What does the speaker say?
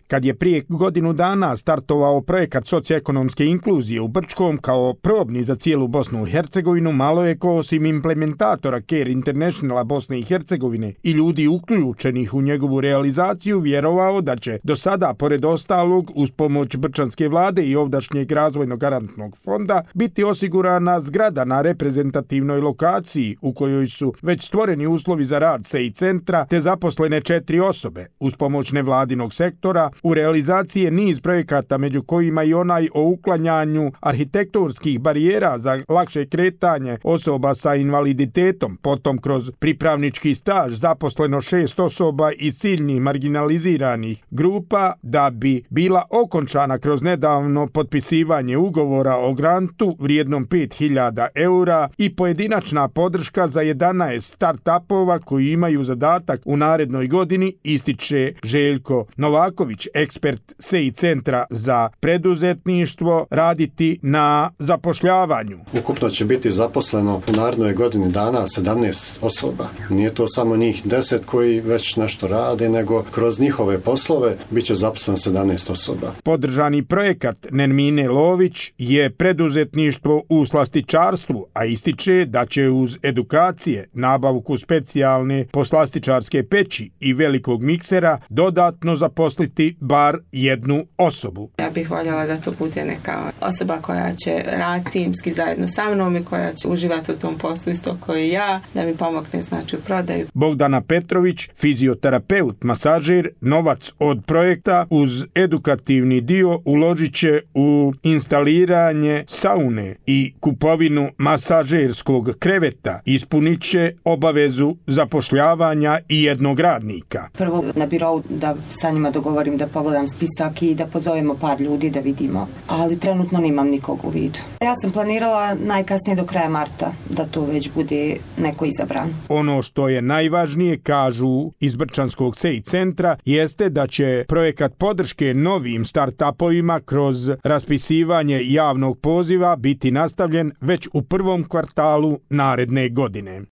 kad je prije godinu dana startovao projekat socioekonomske inkluzije u Brčkom kao probni za cijelu Bosnu i Hercegovinu, malo je ko osim implementatora Care Internationala Bosne i Hercegovine i ljudi uključenih u njegovu realizaciju vjerovao da će do sada, pored ostalog, uz pomoć brčanske vlade i ovdašnjeg razvojnog garantnog fonda, biti osigurana zgrada na reprezentativnoj lokaciji u kojoj su već stvoreni uslovi za rad SEI centra te zaposlene 4 osobe. Uz pomoć nevladinog sektora u realizaciji je niz projekata, među kojima i onaj o uklanjanju arhitektonskih barijera za lakše kretanje osoba sa invaliditetom. Potom kroz pripravnički staž zaposleno 6 osoba iz ciljnih marginaliziranih grupa da bi bila okončana kroz nedavno potpisivanje ugovora o grantu vrijednom 5.000 eura i pojedinačna podrška za 11 start-upova koji imaju zadatak u narednoj godini, ističe Željko Novaković, ekspert SEI centra za preduzetništvo, raditi na zapošljavanju. Ukupno će biti zaposleno u narednoj godini dana 17 osoba. Nije to samo njih 10 koji već nešto rade, nego kroz njihove poslove bit će zaposleno 17 osoba. Podržani projekat Nermine Lović je preduzetništvo u slastičarstvu, a ističe da će uz edukacije, nabavku specijalne poslastičarske peći i velikog miksera dodatno zaposliti bar jednu osobu. Ja bih voljela da to bude neka osoba koja će raditi timski zajedno sa mnom i koja će uživati u tom poslu isto kao i ja, da mi pomogne znači u prodaju. Bogdana Petrović, fizioterapeut, masažer, novac od projekta uz edukativni dio uložit će u instaliranje saune i kupovinu masažerskog kreveta. Ispunit će obavezu zapošljavanja i jednog radnika. Prvo na birou da sa njima dogovorim da pogledam spisak i da pozovemo par ljudi da vidimo, ali trenutno nemam nikog u vidu. Ja sam planirala najkasnije do kraja marta da to već bude neko izabran. Ono što je najvažnije, kažu iz Brčanskog SEI centra, jeste da će projekat podrške novim start-upovima kroz raspisivanje javnog poziva biti nastavljen već u prvom kvartalu naredne godine.